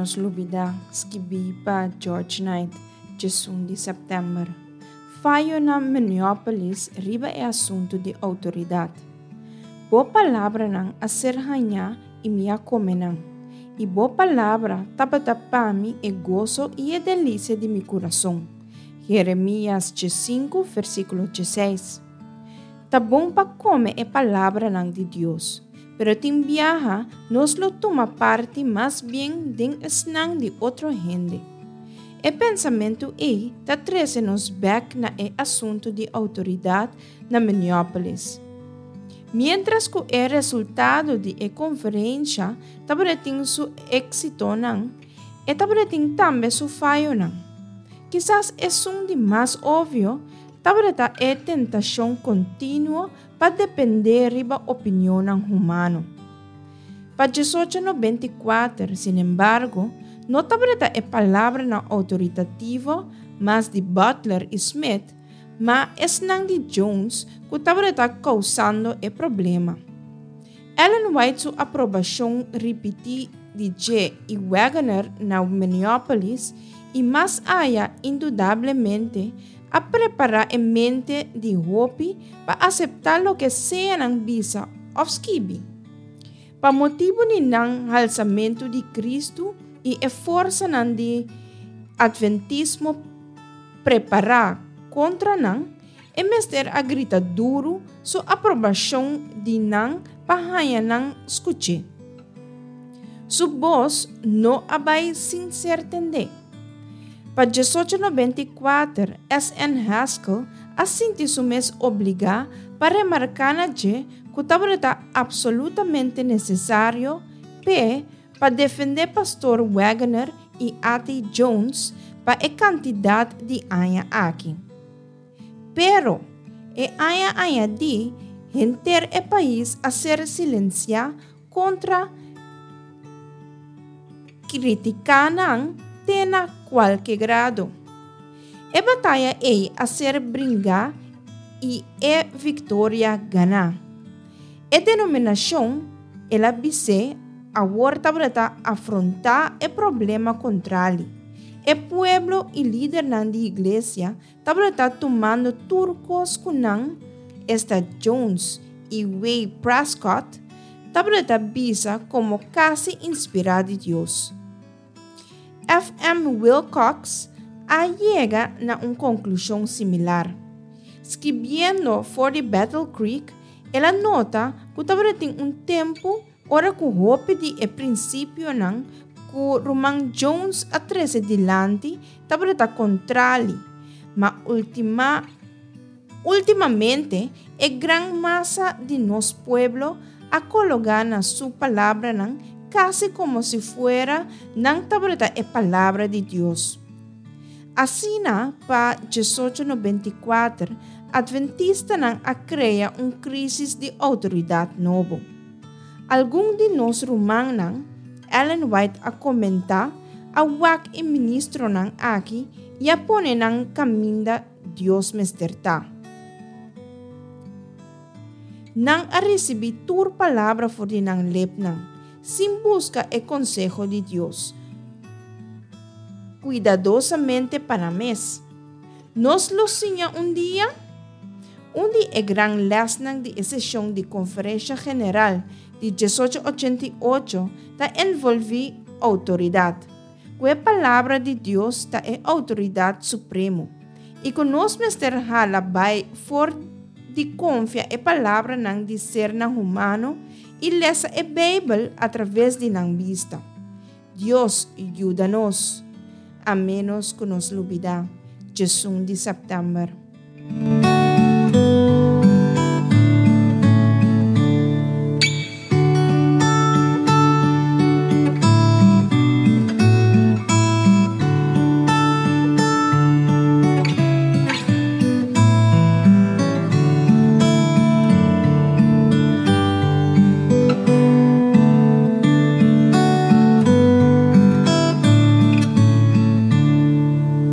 nos lubidá, skibí pa George Knight, 11 di sèptèmber. Fayo na Minneapolis riba e asuntu di outoridat. Bo palabranan a ser hañá i mi a kome nan, i bo palabra tabata pa mi e goso i e delisia di mi kurason. Jeremias 15, versíkulo 16. Ta bon pa kome e palabranan di Dios, pero tin biaha nos lo tuma parti mas bien den esnan di otro hende. E pensamentu ei ta trese nos bèk na e asuntu di outoridat na Minneapolis. Miéntras ku e resultado di e konferensha tabatin su éksitonan, e tabatin tambe su fayonan. Kisas esun di mas obvio tabata e tentashon kontinuo pa dependé riba opinionnan humano. Pa 1894, sinembargo, no tabata e palabranan outoritativo mas di Butler i Smith, ma esnan di Jones ku tabata kousando e problema. Ellen White su aprobashon ripití di dje i Waggoner na Minneapolis i mas aya indudablemente a prepará e mente di hopi pa aseptá loke sea nan bisa òf skibi. Pa motibu di nan halsamentu di Kristu i e forsanan di Atventismo prepará kontra nan, e mester a grita duru su aprobashon di nan pa haña nan skuch'é. Su bos no a bai sin ser tendé. Pa 1894, SN. Haskell a sinti su mes obligá pa remarká na dje ku tabata apsolutamente nesesario p'e pa defendé Pastor Waggoner i A.T. Jones pa e kantidat di aña aki. Pero, e aña añadí, henter e pais a ser silensiá kontra kritiká nan te na kualke grado. E bataya ei a ser bringá i e viktoria ganá. E denominashon, el a bis'é, awor tabata afrontá e problema kontrali. E pueblo i lidernan di iglesia tabata tumando tur kos ku nan, esta Jones i Way Prescott, tabata bisa komo kasi inspirá di Dios. FM. Wilcox a yega na un konklushon similar. Skibiendo for di Battle Creek, el a nota ku tabatin un tempu ora ku hopi di e prinsipionan ku Ruman Jones a trese dilanti tabata kontrali, ma ultima ultimamente e gran masa di nos pueblo a kologá na su palabranan kasi komo si fuera nan tabata e Palabra di Dios. Asina, pa 1894, atventistanan a krea un krísis di outoridat nobo. Algun di nos rumannan, Ellen White a komentá, a wak e ministronan aki i a pone nan kaminda Dios mester ta. Nan a risibí tur palabra for di nan lepnan, sin buska e konseho di Dios kuidadosamente pa nan mes. Nos lo siña un dia? Un di e gran lèsnan di e seshon di Konferensha General di 1888 ta envolví outoridat, ku e Palabra di Dios ta e outoridat supremo i ku nos mester hala bai for di konfia e palabranan di sernan humano i lesa e Beibel atraves di nan bista. Dios yuda nos, a ménos ku nos lubidá 11 di sèptèmber.